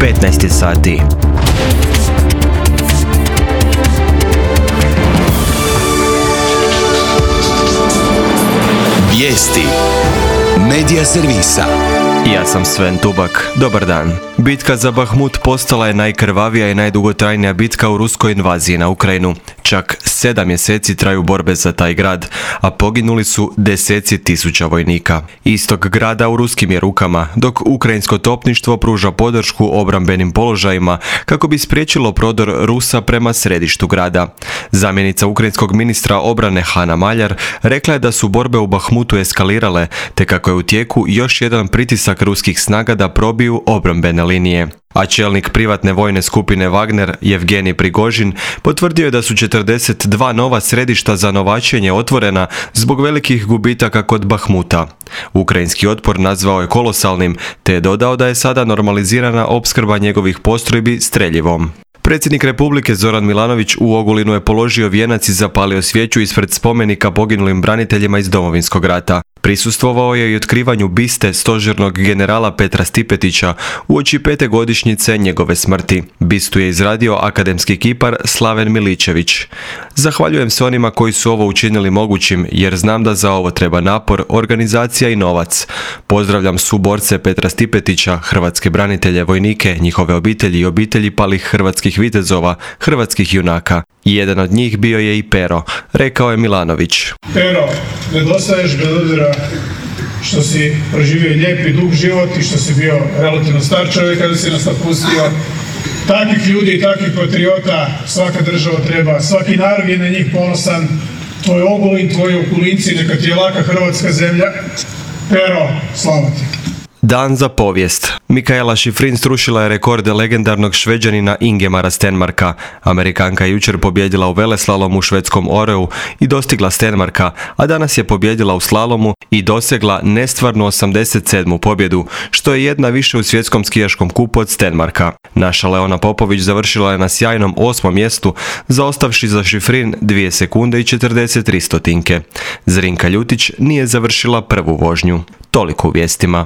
15 sati. Vijesti Medija servisa. Ja sam Sven Tubak. Dobar dan. Bitka za Bahmut postala je najkrvavija i najdugotrajnija bitka u ruskoj invaziji na Ukrajinu. Čak 7 mjeseci traju borbe za taj grad, a poginuli su deseci tisuća vojnika. Istok grada u ruskim je rukama, dok ukrajinsko topništvo pruža podršku obrambenim položajima kako bi spriječilo prodor Rusa prema središtu grada. Zamjenica ukrajinskog ministra obrane Hana Maljar rekla je da su borbe u Bahmutu eskalirale, te kako je u tijeku još jedan pritisak ruskih snaga da probiju obrambene linije. A čelnik privatne vojne skupine Wagner, Jevgenij Prigožin, potvrdio je da su 42 nova središta za novačenje otvorena zbog velikih gubitaka kod Bahmuta. Ukrajinski otpor nazvao je kolosalnim, te je dodao da je sada normalizirana opskrba njegovih postrojbi streljivom. Predsjednik Republike Zoran Milanović u Ogulinu je položio vijenac i zapalio svijeću ispred spomenika poginulim braniteljima iz Domovinskog rata. Prisustvovao je i otkrivanju biste stožernog generala Petra Stipetića uoči 5. godišnjice njegove smrti. Bistu je izradio akademski kipar Slaven Miličević. Zahvaljujem se onima koji su ovo učinili mogućim, jer znam da za ovo treba napor, organizacija i novac. Pozdravljam suborce Petra Stipetića, hrvatske branitelje, vojnike, njihove obitelji i obitelji palih hrvatskih vitezova, hrvatskih junaka. Jedan od njih bio je i Pero, rekao je Milanović. Pero, nedostaješ bez obzira što si proživio lijep i dug život i što si bio relativno star čovjek kada si nas napustio. Takvih ljudi i takvih patriota svaka država treba, svaki narod je na njih ponosan. Tvoj Ogulin, tvoji Okulinci, neka ti je laka hrvatska zemlja. Pero, slava ti. Dan za povijest. Mikaela Shiffrin srušila je rekorde legendarnog Šveđanina Ingemara Stenmarka. Amerikanka je jučer pobjedila u veleslalomu u švedskom Oreu i dostigla Stenmarka, a danas je pobjedila u slalomu i dosegla nestvarnu 87. pobjedu, što je jedna više u svjetskom skijaškom kupu od Stenmarka. Naša Leona Popović završila je na sjajnom 8. mjestu, zaostavši za Shiffrin 2 sekunde i 43 stotinke. Zrinka Ljutić nije završila prvu vožnju. Toliko u vijestima.